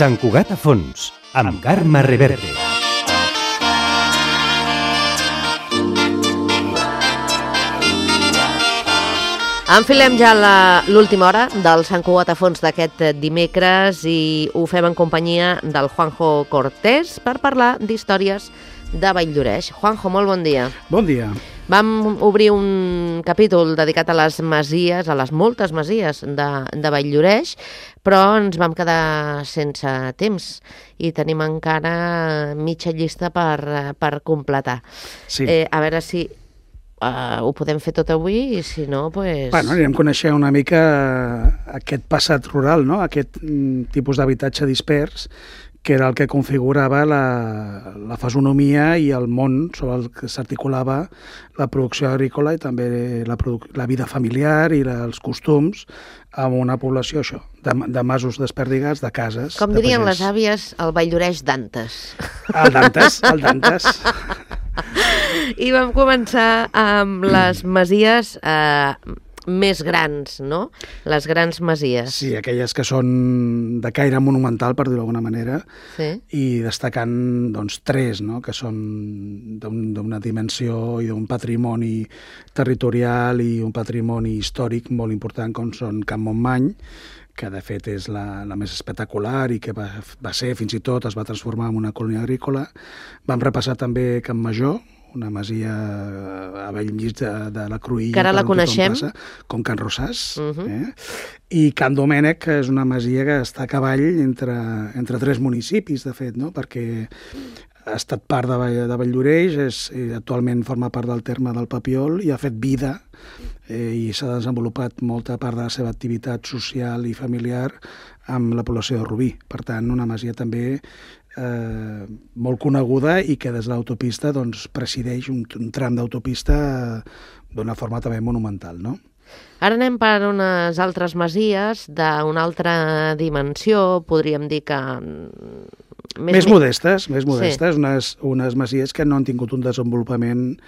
Sant Cugat a fons, amb Carme Reverte. Enfilem ja l'última hora del Sant Cugat a fons d'aquest dimecres i ho fem en companyia del Juanjo Cortés per parlar d'històries de Valldoreix. Juanjo, molt bon dia. Bon dia. Vam obrir un capítol dedicat a les masies, a les moltes masies de Valldoreix, però ens vam quedar sense temps i tenim encara mitja llista per completar. Sí. A veure si ho podem fer tot avui i si no, doncs... Bueno, anirem coneixent una mica aquest passat rural, no? Aquest tipus d'habitatge dispers, que era el que configurava la fesonomia i el món sobre el que s'articulava la producció agrícola i també la vida familiar i els costums amb una població, això, de masos desperdigats, de cases. Com dirien les àvies, el Valldoreix d'antes. El d'antes. I vam començar amb les masies més grans, no? Les grans masies. Sí, aquelles que són de caire monumental, per dir-ho d'alguna manera, sí. I destacant doncs, tres, no? Que són d'una dimensió i d'un patrimoni territorial i un patrimoni històric molt important, com són Can Montmany, que de fet és la més espectacular i que va ser, fins i tot, es va transformar en una colònia agrícola. Vam repassar també Can Major, una masia a Bellmig de la Cruïlla. Que ara la coneixem. Com Can Rosàs. I Can Domènec, que és una masia que està a cavall entre tres municipis, de fet, no? Perquè ha estat part de Valldoreix, actualment forma part del terme del Papiol i ha fet vida i s'ha desenvolupat molta part de la seva activitat social i familiar amb la població de Rubí. Per tant, una masia també molt coneguda i que des de l'autopista doncs, presideix un tram d'autopista d'una forma també monumental, no? Ara anem per unes altres masies d'una altra dimensió, podríem dir que... Més modestes, sí. Unes masies que no han tingut un desenvolupament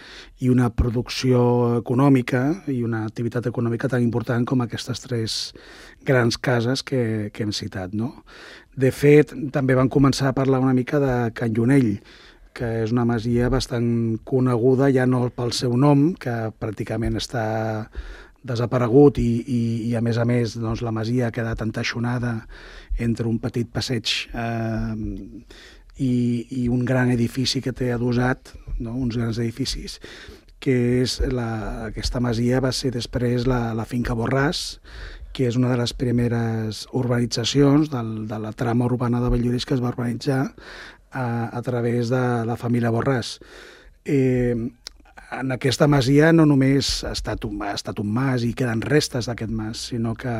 i una producció econòmica i una activitat econòmica tan important com aquestes tres grans cases que hem citat, no? De fet, també van començar a parlar una mica de Can Lluenell, que és una masia bastant coneguda, ja no pel seu nom, que pràcticament està desaparegut i a més, doncs, la masia ha quedat entaixonada entre un petit passeig i un gran edifici que té adossat, no? Uns grans edificis, que és aquesta masia va ser després la finca Borràs, que és una de les primeres urbanitzacions de la trama urbana de Valldoreix que es va urbanitzar a través de la família Borràs. En aquesta masia no només ha estat un mas i queden restes d'aquest mas, sinó que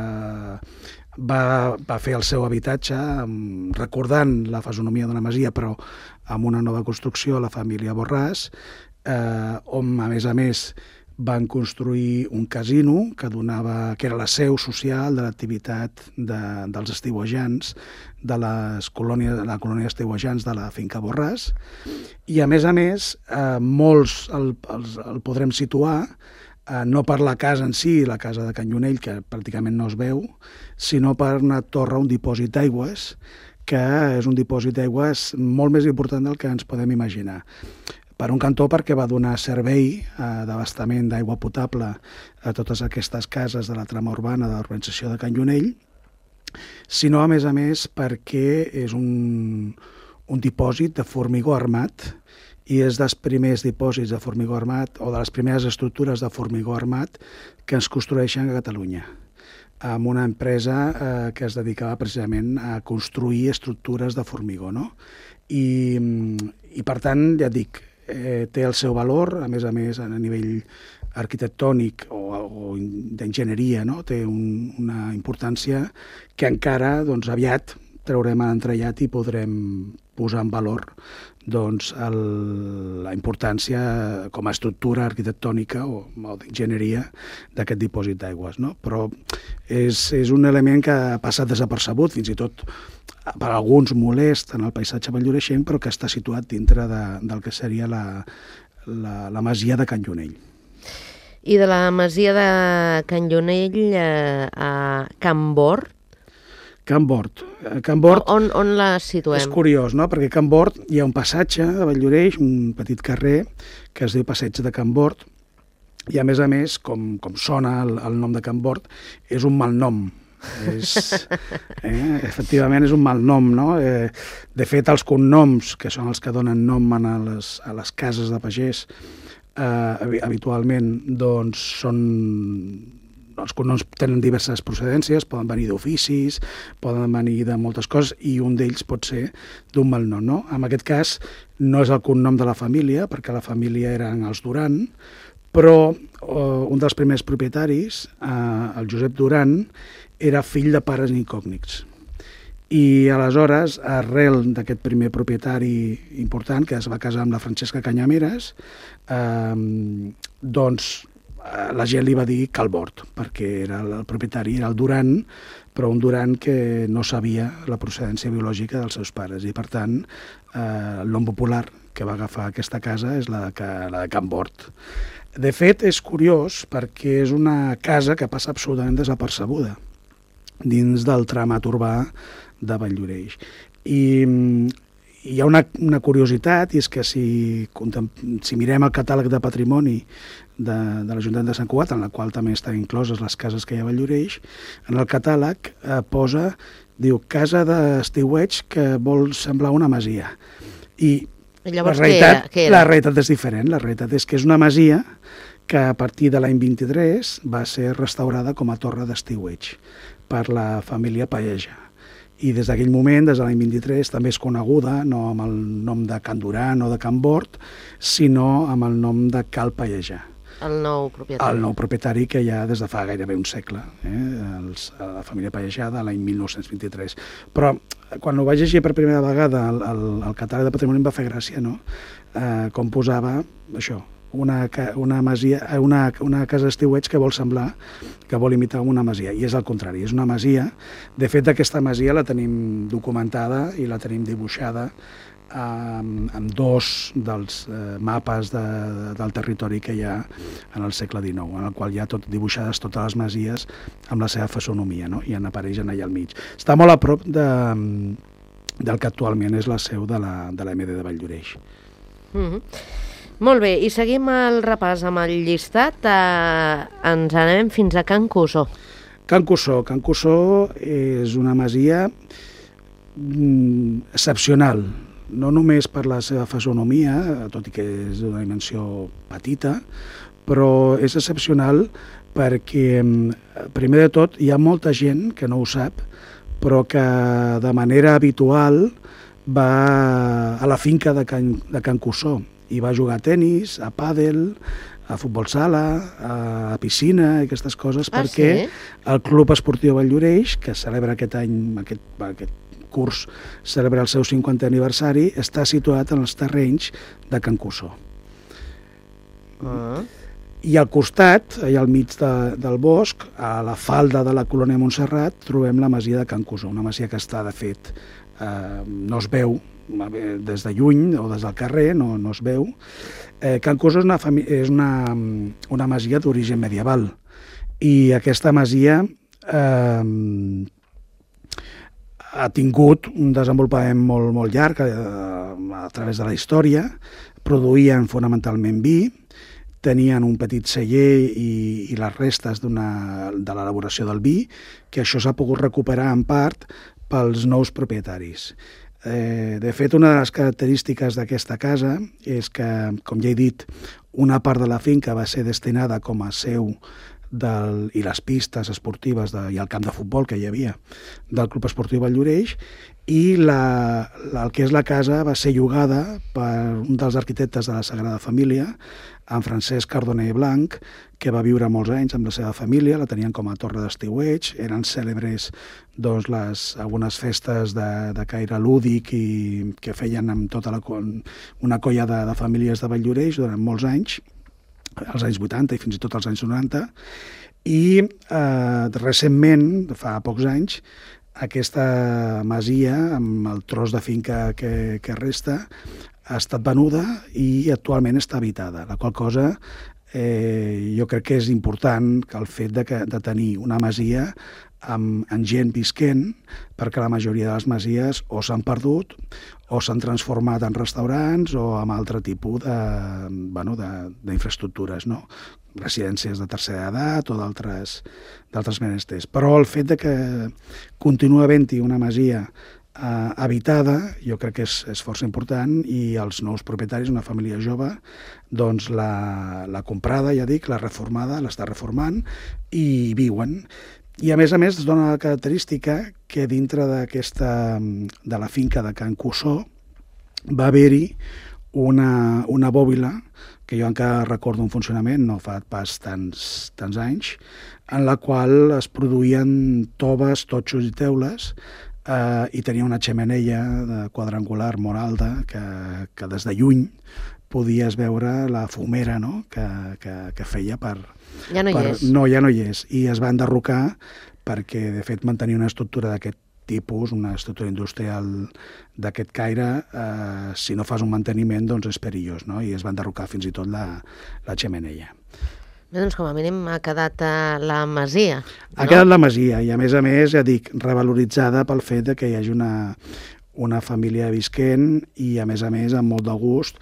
va fer el seu habitatge recordant la fesonomia d'una masia, però amb una nova construcció, la família Borràs, on, a més, van construir un casino que era la seu social de l'activitat dels estiuejants, de la colònia d'estiuejants de la finca Borràs, i a més, molts el podrem situar no per la casa en si, la casa de Can Lluenell, que pràcticament no es veu, sinó per una torre, un dipòsit d'aigües, que és un dipòsit d'aigües molt més important del que ens podem imaginar. Per un cantó, perquè va donar servei d'abastament d'aigua potable a totes aquestes cases de la trama urbana de l'urbanització de Can Lluenell, sinó, a més, perquè és un dipòsit de formigó armat i és dels primers dipòsits de formigó armat o de les primeres estructures de formigó armat que es construeixen a Catalunya, amb una empresa que es dedicava precisament a construir estructures de formigó, no? I per tant, ja et dic, té el seu valor, a més, a nivell arquitectònic o d'enginyeria, no? Té una importància que encara doncs, aviat traurem a l'entrellat i podrem posar en valor doncs, la importància com a estructura arquitectònica o d'enginyeria d'aquest dipòsit d'aigües, no? Però és un element que ha passat desapercebut, fins i tot per alguns molest en el paisatge valldoreixenc, però que està situat dintre del que seria la masia de Can Lluenell. I de la masia de Can Lluenell a Can Bord? Can Bord. Can Bord On la situem? és curiós, no? Perquè a Can Bord hi ha un passatge a Valldoreix, un petit carrer que es diu Passeig de Can Bord, i a més, com sona el nom de Can Bord, és un malnom. Efectivament és un malnom, no? De fet, els cognoms, que són els que donen nom a les cases de pagès, habitualment doncs, els cognoms tenen diverses procedències, poden venir d'oficis, poden venir de moltes coses, i un d'ells pot ser d'un malnom, no? En aquest cas no és el cognom de la família, perquè la família eren els Duran, però un dels primers propietaris, el Josep Duran, era fill de pares incògnits. I aleshores, arrel d'aquest primer propietari important, que es va casar amb la Francesca Canyameres, doncs la gent li va dir Calbord, perquè el propietari era el Duran, però un Duran que no sabia la procedència biològica dels seus pares. I, per tant, el nom popular que va agafar aquesta casa és la de Can Bord. De fet, és curiós perquè és una casa que passa absolutament desapercebuda dins del tramat urbà de Valldoreix. I hi ha una curiositat, i és que si mirem el catàleg de patrimoni de l'Ajuntament de Sant Cugat, en la qual també estan incloses les cases que hi ha a Valldoreix, en el catàleg diu casa d'estiueig que vol semblar una masia. I llavors, la què era? La realitat és diferent. La realitat és que és una masia que a partir de l'any 23 va ser restaurada com a torre d'estiueig per la família Pallejà. I des d'aquell moment, des de l'any 23, també és coneguda no amb el nom de Can Duran o de Can Bord, sinó amb el nom de Cal Pallejà. El nou propietari. El nou propietari que hi ha des de fa gairebé un segle, la família Pallejà de l'any 1923. Però quan ho vaig llegir per primera vegada al catàleg de patrimoni em va fer gràcia, no? Com posava això, una casa d'estiueig que vol semblar, que vol imitar una masia, i és al contrari, és una masia. De fet, aquesta masia la tenim documentada i la tenim dibuixada amb dos dels mapes del territori que hi ha en el segle XIX, en el qual hi ha dibuixades totes les masies amb la seva fisonomia, no? I en apareixen allà al mig. Està molt a prop del que actualment és la seu de la MD de Valldoreix. Molt bé, i seguim el repàs amb el llistat. Ens anem fins a Can Cussó. Can Cussó és una masia excepcional, no només per la seva fisonomia, tot i que és d'una dimensió petita, però és excepcional perquè, primer de tot, hi ha molta gent que no ho sap, però que de manera habitual va a la finca de Can Cussó i va jugar a tenis, a pàdel, a futbol sala, a piscina i aquestes coses, perquè sí? El Club Esportiu Valldoreix, que celebra aquest any, aquest curs, celebra el seu 50è aniversari, està situat en els terrenys de Can Cussó. I al costat, allà al mig del bosc, a la falda de la colònia Montserrat, trobem la masia de Can Cussó, una masia que està, de fet, no es veu des de lluny o des del carrer, no es veu. Can Cussó és una masia d'origen medieval, i aquesta masia ha tingut un desenvolupament molt llarg a través de la història. Produïen fonamentalment vi, tenien un petit celler i les restes de l'elaboració del vi, que això s'ha pogut recuperar en part pels nous propietaris. De fet, una de les característiques d'aquesta casa és que, com ja he dit, una part de la finca va ser destinada com a seu i les pistes esportives i el camp de futbol que hi havia del Club Esportiu Valldoreix, i el que és la casa va ser llogada per un dels arquitectes de la Sagrada Família, en Francesc Cardoner Blanc, que va viure molts anys amb la seva família, la tenien com a torre d'estiueig, eren cèlebres algunes festes de caire lúdic i que feien amb tota una colla de famílies de Valldoreix durant molts anys, als anys 80 i fins i tot als anys 90, i recentment, fa pocs anys, aquesta masia, amb el tros de finca que resta, ha estat venuda i actualment està habitada, la qual cosa jo crec que és important que el fet de tenir una masia amb gent visquent, perquè la majoria de les masies o s'han perdut o s'han transformat en restaurants o amb altre tipus d'infraestructures, no? Residències de tercera edat o d'altres menesters. Però el fet de que continua havent-hi una masia habitada, jo crec que és força important, i els nous propietaris, una família jove, doncs la comprada, ja dic, la reformada, l'està reformant i viuen. I a més es dona la característica que dintre de la finca de Can Cussó va haver-hi una bòbila, que jo encara recordo un funcionament, no fa pas tants anys, en la qual es produïen toves, totxos i teules, i tenia una xemeneia quadrangular molt alta que des de lluny podies veure la fumera, no?, que feia per... Ja no hi és. No, ja no hi és. I es va enderrocar perquè, de fet, mantenir una estructura d'aquest tipus, una estructura industrial d'aquest caire, si no fas un manteniment, doncs és perillós, no? I es va enderrocar fins i tot la xemeneia. Bé, doncs com a mínim ha quedat la masia. Ha quedat la masia i, a més, ja dic, revaloritzada pel fet de que hi hagi una família visquent i, a més, amb molt de gust,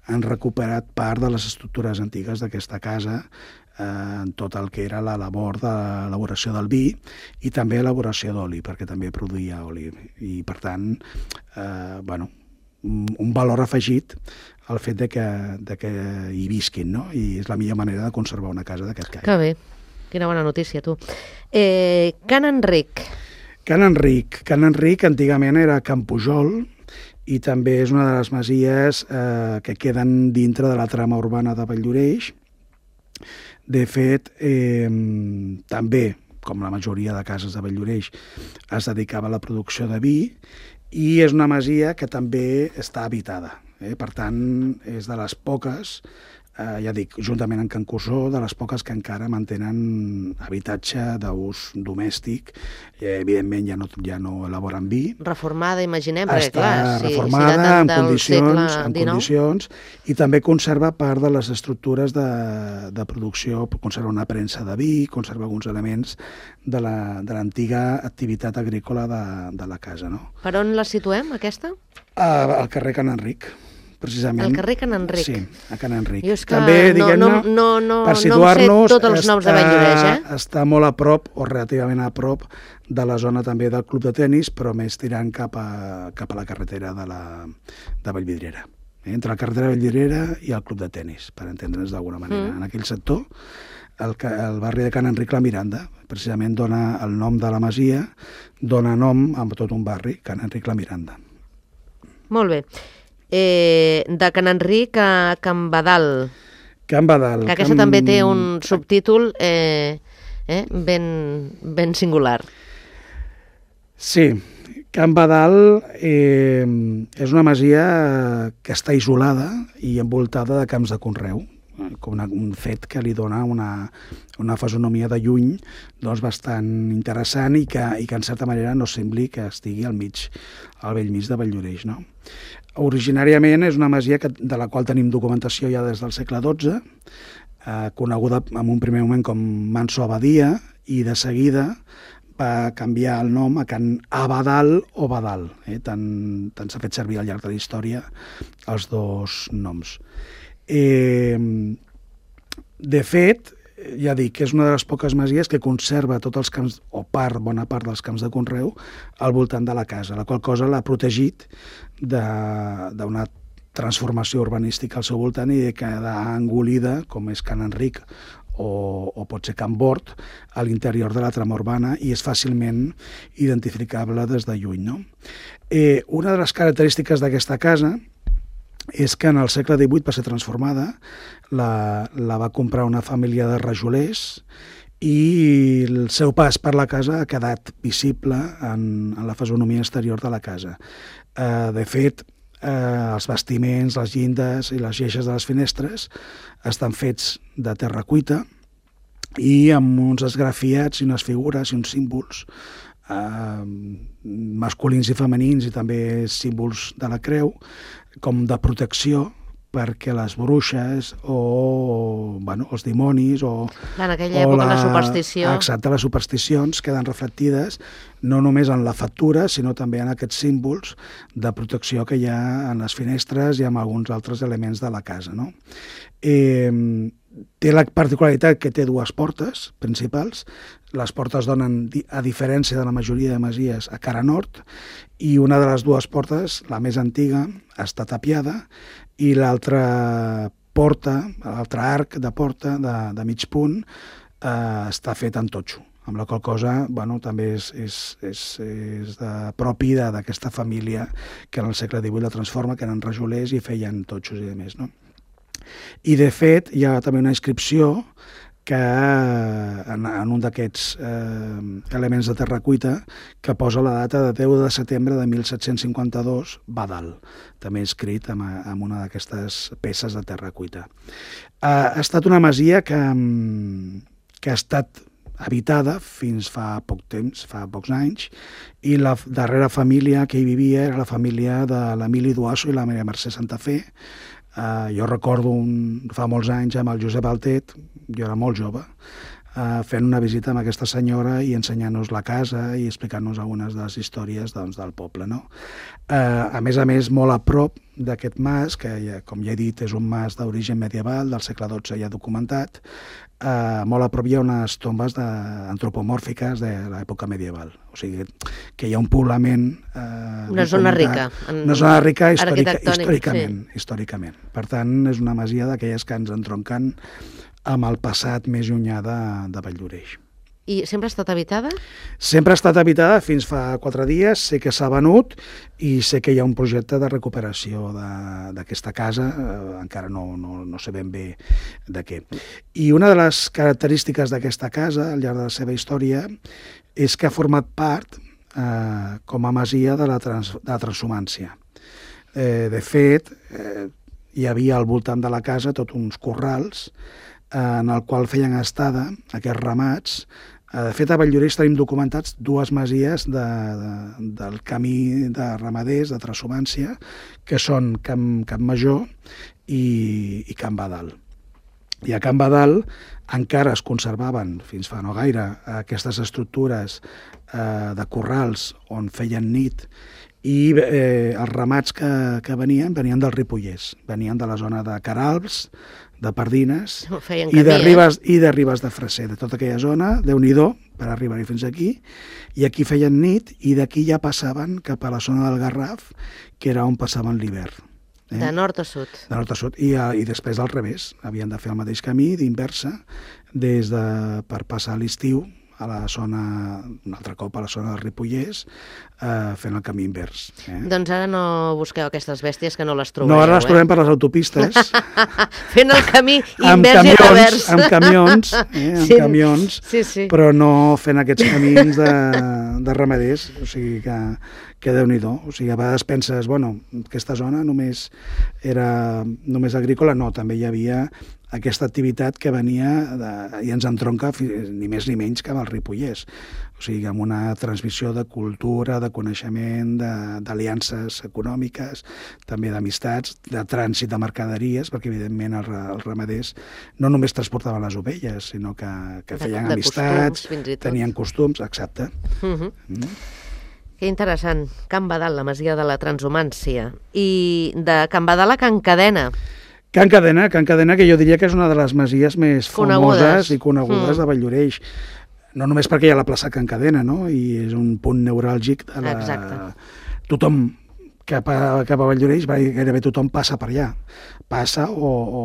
han recuperat part de les estructures antigues d'aquesta casa, en tot el que era la labor d'elaboració del vi i també elaboració d'oli, perquè també produïa oli. I, per tant, un valor afegit al fet de que hi visquin, no? I és la millor manera de conservar una casa d'aquest caire. Que bé, quina bona notícia, tu. Can Enric. Can Enric antigament era Can Pujol, i també és una de les masies que queden dintre de la trama urbana de Valldoreix. De fet, també, com la majoria de cases de Valldoreix, es dedicava a la producció de vi, i és una masia que també està habitada. Per tant, és de les poques, ja dic, juntament amb Can Cussó, de les poques que encara mantenen habitatge d'ús domèstic. Evidentment ja no elaboren vi. Reformada, imaginem, perquè està clar, reformada, en condicions, i també conserva part de les estructures de producció, conserva una premsa de vi, conserva alguns elements de l'antiga activitat agrícola de la casa, no? Per on la situem, aquesta? Al carrer Can Enric, precisament. Al carrer Can Enric. Sí, a Can Enric. Jo és que també, no per situar-nos, sé tots els noms de Valldoreix, està molt a prop, o relativament a prop, de la zona també del club de tennis, però més tirant cap a la carretera de Vallvidrera. Entre la carretera de Vallvidrera i el club de tennis, per entendre'ns d'alguna manera. En aquell sector, el barri de Can Enric la Miranda, precisament dona el nom de la masia, dona nom a tot un barri, Can Enric la Miranda. Molt bé. De Can Enric a Can Badal. Can Badal. Que aquesta també té un subtítol ben singular. Sí, Can Badal és una masia que està isolada i envoltada de camps de conreu, com un fet que li dona una fisonomia de lluny bastant interessant i que en certa manera no sembli que estigui al bell mig de Valldoreix, no? Originàriament és una masia de la qual tenim documentació ja des del segle XII, coneguda en un primer moment com Manso Abadia, i de seguida va canviar el nom a Can Abadal o Badal. Tant s'ha fet servir al llarg de la història els dos noms. De fet, ja dic, és una de les poques masies que conserva tots els camps, o bona part dels camps de conreu, al voltant de la casa, la qual cosa l'ha protegit d'una transformació urbanística al seu voltant i de quedar engolida, com és Can Enric o pot ser Can Bort, a l'interior de la trama urbana, i és fàcilment identificable des de lluny, no? Una de les característiques d'aquesta casa és que en el segle XVIII va ser transformada, la va comprar una família de rajolers i el seu pas per la casa ha quedat visible en la fisonomia exterior de la casa. De fet, els bastiments, les llindes i les lleixes de les finestres estan fets de terra cuita i amb uns esgrafiats i unes figures i uns símbols masculins i femenins i també símbols de la creu com de protecció perquè les bruixes o els dimonis en aquella època la superstició. Exacte, les supersticions queden reflectides no només en la factura, sinó també en aquests símbols de protecció que hi ha en les finestres i en alguns altres elements de la casa, no? Té la particularitat que té dues portes principals. Les portes donen, a diferència de la majoria de masies, a cara nord, i una de les dues portes, la més antiga, està tapiada, i l'altra porta, l'altre arc de porta de mig punt, està fet en totxo, amb la qual cosa també és propi d'aquesta família que en el segle XVIII la transforma, que eren rajolers i feien totxos i demés, no? I, de fet, hi ha també una inscripció que en un d'aquests elements de terra cuita que posa la data de 10 de setembre de 1752, Badal, també escrit amb una d'aquestes peces de terra cuita. Ha estat una masia que ha estat habitada fins fa poc temps, fa pocs anys, i la darrera família que hi vivia era la família de l'Emili Duasso i la Maria Mercè Santafé. Jo recordo fa molts anys amb el Josep Altet, jo era molt jove, fent una visita amb aquesta senyora i ensenyant-nos la casa i explicant-nos algunes de les històries del poble, no? A més, molt a prop d'aquest mas, que com ja he dit és un mas d'origen medieval, del segle XII ja documentat, molt a prop hi ha unes tombes antropomòrfiques de l'època medieval. O sigui, que hi ha un poblament... Una zona rica. Una zona rica històricament. Per tant, és una masia d'aquelles que ens entronquen amb el passat més llunyà de Valldoreix. I sempre ha estat habitada? Sempre ha estat habitada fins fa 4 dies. Sé que s'ha venut i sé que hi ha un projecte de recuperació d'aquesta casa. Encara no sé ben bé de què. I una de les característiques d'aquesta casa, al llarg de la seva història, és que ha format part com a masia de la transhumància. De fet, hi havia al voltant de la casa tots uns corrals en el qual feien estada aquests ramats. De fet, a Valldoreix tenim documentats 2 masies del camí de ramaders, de transhumància, que són Camp Major i Camp Badal. I a Camp Badal encara es conservaven, fins fa no gaire, aquestes estructures de corrals on feien nit, i els ramats que venien del Ripollès, venien de la zona de Caralbs, de Pardines i de Ribes de Freser, de tota aquella zona, Déu-n'hi-do, per arribar-hi fins aquí, i aquí feien nit i d'aquí ja passaven cap a la zona del Garraf, que era on passaven l'hivern. De nord a sud. De nord a sud, i després al revés, havien de fer el mateix camí, d'inversa, per passar l'estiu a la zona, un altre cop a la zona del Ripollès, fent el camí invers. Doncs ara no busqueu aquestes bèsties que no les trobeu. No, ara les trobem per les autopistes. Fent el camí invers i revers. Amb camions, sí. Però no fent aquests camins de ramaders, o sigui que Déu-n'hi-do. O sigui, a vegades penses, aquesta zona només era només agrícola, no, també hi havia aquesta activitat que venia i ens entronca ni més ni menys que amb el Ripollès. O sigui, amb una transmissió de cultura, de coneixement, d'aliances econòmiques, també d'amistats, de trànsit de mercaderies, perquè evidentment els ramaders no només transportaven les ovelles, sinó que feien amistats, tenien costums, exacte. Que interessant. Camp Badal, la masia de la transhumància. I de Camp Badal a Can Cadena. Can Cadena, que jo diria que és una de les masies més famoses i conegudes de Valldoreix. No només perquè hi ha la plaça Can Cadena, no? I és un punt neuràlgic de la... Exacte. Tothom cap a Valldoreix, gairebé tothom passa per allà. Passa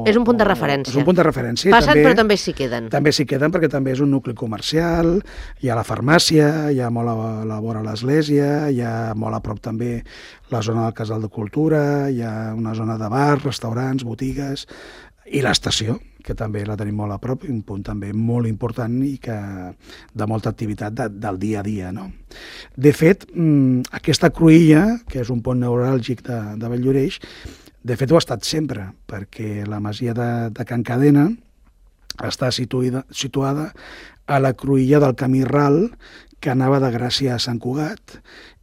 és un punt de referència. És un punt de referència. Passen, però també s'hi queden. També s'hi queden perquè també és un nucli comercial, hi ha la farmàcia, hi ha molt a la vora l'església, hi ha molt a prop també la zona del Casal de Cultura, hi ha una zona de bars, restaurants, botigues, i l'estació, que també la tenim molt a prop, un punt també molt important i que de molta activitat del dia a dia, no? De fet, aquesta cruïlla, que és un punt neuràlgic de Valldoreix, de fet ho ha estat sempre, perquè la masia de Can Cadena està situada a la cruïlla del camí ral que anava de Gràcia a Sant Cugat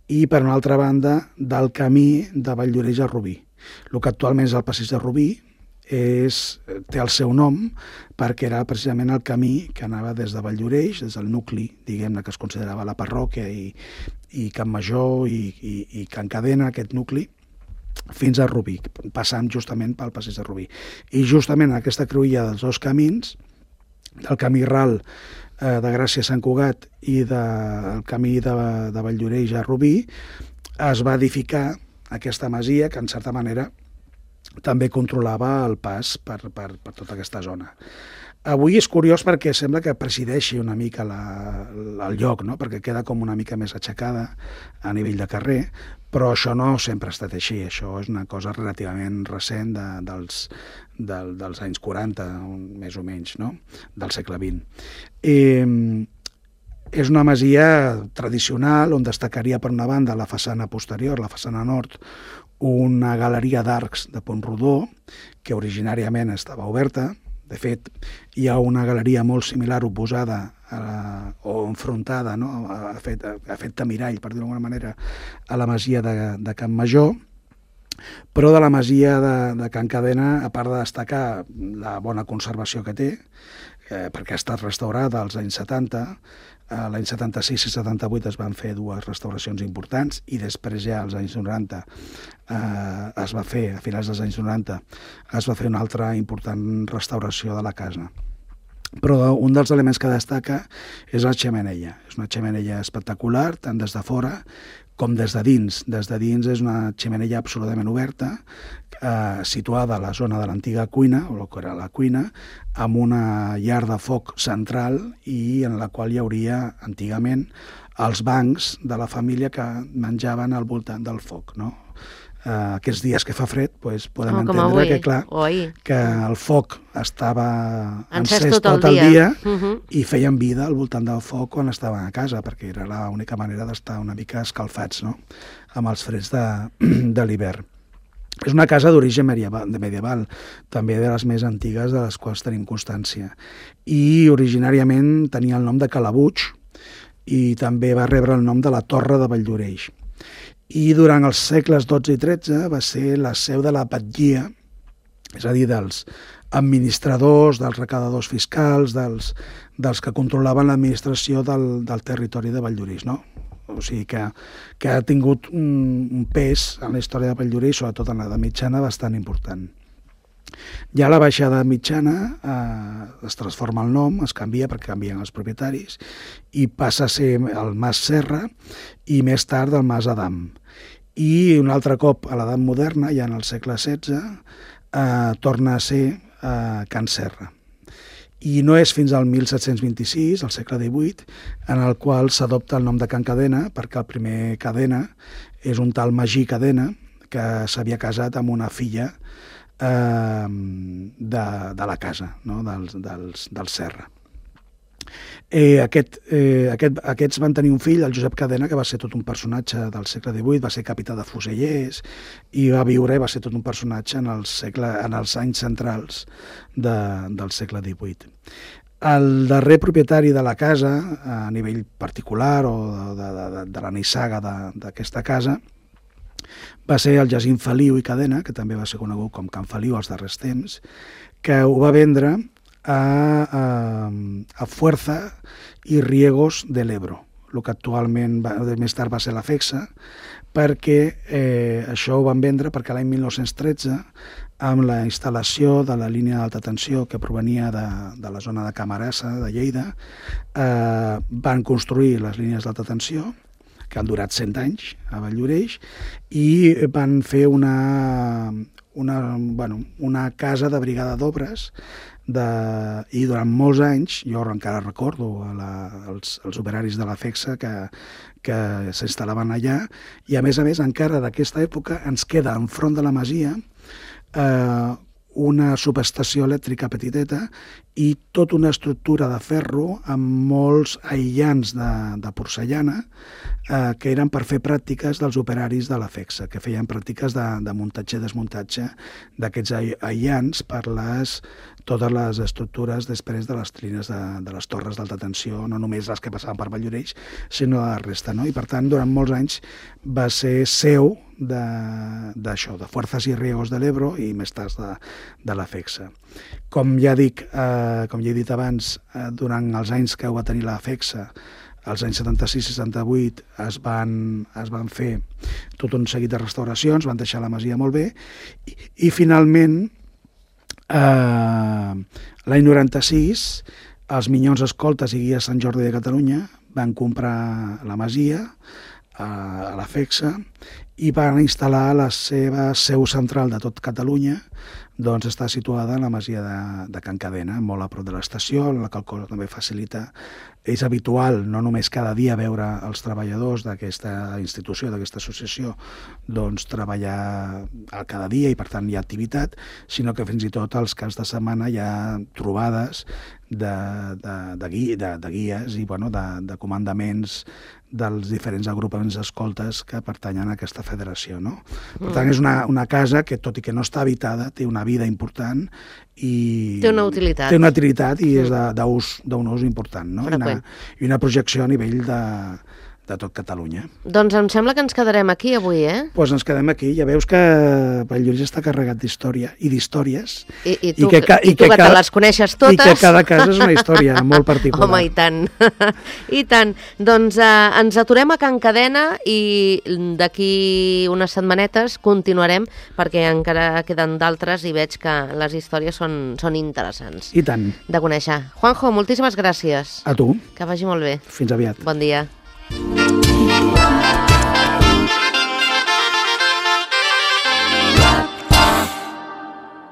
i, per una altra banda, del camí de Valldoreix a Rubí. El que actualment és el passeig de Rubí, té el seu nom perquè era precisament el camí que anava des de Valldoreix, des del nucli, diguem-ne, que es considerava la parròquia i Can Major i Can Cadena, aquest nucli, fins a Rubí, passant justament pel passeig de Rubí. I justament aquesta cruïlla dels dos camins, del camí ral de Gràcia a Sant Cugat i del camí de Valldoreix a Rubí, es va edificar aquesta masia que, en certa manera, també controlava el pas per tota aquesta zona. Avui és curiós perquè sembla que presideixi una mica el lloc, no? Perquè queda com una mica més aixecada a nivell de carrer, però això no sempre ha estat així, això és una cosa relativament recent dels anys 40, més o menys, no? Del segle XX. És una masia tradicional on destacaria per una banda la façana posterior, la façana nord, una galeria d'arcs de pont rodó que originàriament estava oberta. De fet, hi ha una galeria molt similar oposada o enfrontada, no? ha fet de mirall, per dir-ho d'alguna manera, a la masia de Can Major. Però de la masia de Can Cadena, a part de destacar la bona conservació que té, perquè ha estat restaurada als anys 70, l'any 76 i 78 es van fer dues restauracions importants i després ja als anys 90 es va fer, a finals dels anys 90, es va fer una altra important restauració de la casa. Però un dels elements que destaca és la xemeneia. És una xemeneia espectacular, tant des de fora com des de dins. Des de dins és una xemeneia absolutament oberta, situada a la zona de l'antiga cuina, o el que era la cuina, amb una llar de foc central i en la qual hi hauria, antigament, els bancs de la família que menjaven al voltant del foc, no? Aquests dies que fa fred, podem entendre que, clar, que el foc estava encès tot el dia i feien vida al voltant del foc quan estaven a casa, perquè era l'única manera d'estar una mica escalfats, no?, amb els freds de l'hivern. És una casa d'origen medieval, també de les més antigues de les quals tenim constància. I originàriament tenia el nom de Calabuig i també va rebre el nom de la Torre de Valldoreix. I durant els segles XII i XIII va ser la seu de la batllia, és a dir, dels administradors, dels recaptadors fiscals, dels que controlaven l'administració del territori de Valldoreix, no? O sigui que ha tingut un pes en la història de Valldoreix, sobretot en l'edat mitjana, bastant important. Ja a la baixada mitjana es transforma el nom, es canvia perquè canvien els propietaris i passa a ser el Mas Serra i més tard el Mas Adam. I un altre cop a l'edat moderna, ja en el segle XVI, torna a ser Can Serra. I no és fins al 1726, al segle XVIII, en el qual s'adopta el nom de Can Cadena, perquè el primer Cadena és un tal Magí Cadena, que s'havia casat amb una filla de la casa, no?, del Serra. Aquests van tenir un fill, el Josep Cadena, que va ser tot un personatge del segle XVIII, va ser capità de fusellers i va viure i va ser tot un personatge en els anys centrals del segle XVIII. El darrer propietari de la casa, a nivell particular o de la nissaga d'aquesta casa, va ser el Jacint Feliu i Cadena, que també va ser conegut com Can Feliu als darrers temps, que ho va vendre a Fuerza i Riegos de l'Ebro, el que actualment més tard va ser la FEXA, perquè això ho van vendre perquè l'any 1913, amb la instal·lació de la línia d'alta tensió que provenia de la zona de Camarasa, de Lleida, van construir les línies d'alta tensió, que han durat 100 anys a Valldoreix, i van fer una casa de brigada d'obres i durant molts anys, jo encara recordo els operaris de la FEXA que s'instal·laven allà, i a més encara d'aquesta època ens queda enfront de la masia una subestació elèctrica petiteta i tota una estructura de ferro amb molts aïllants de porcellana que eren per fer pràctiques dels operaris de la FEXA, que feien pràctiques de muntatge i desmuntatge d'aquests aïllants per les totes les estructures després de les línies de les torres d'alta tensió, no només les que passaven per Valldoreix, sinó la resta, no? I per tant, durant molts anys va ser seu d'això, de Fuerzas y Riegos de l'Ebro i més tard de la FECSA. Com ja dic, com ja he dit abans, durant els anys que ho va tenir la FECSA, als anys 76 i 78 es van fer tot un seguit de restauracions, van deixar la masia molt bé, i finalment, l'any 96, els Minyons Escoltes i Guies Sant Jordi de Catalunya van comprar la masia a la FECSA i van instal·lar la seva seu central de tot Catalunya, doncs està situada en la masia de Can Cadena, molt a prop de l'estació, la qual cosa també facilita. És habitual, no només cada dia, veure els treballadors d'aquesta institució, d'aquesta associació, doncs treballar cada dia i per tant hi ha activitat, sinó que fins i tot als caps de setmana hi ha trobades de guies i de comandaments dels diferents agrupaments d'escoltes que pertanyen a aquesta federació, no? Per tant, és una casa que, tot i que no està habitada, té una vida important i... Té una utilitat. Té una utilitat i és d'un ús important, no? I una projecció a nivell de tot Catalunya. Doncs em sembla que ens quedarem aquí avui, eh? Doncs ens quedem aquí. Ja veus que Valldoreix està carregat d'història i d'històries. I tu que te les coneixes totes. I que cada casa és una història molt particular. Home, i tant. I tant. Doncs ens aturem a Can Cadena i d'aquí unes setmanetes continuarem perquè encara queden d'altres i veig que les històries són interessants. I tant. De conèixer. Juanjo, moltíssimes gràcies. A tu. Que vagi molt bé. Fins aviat. Bon dia.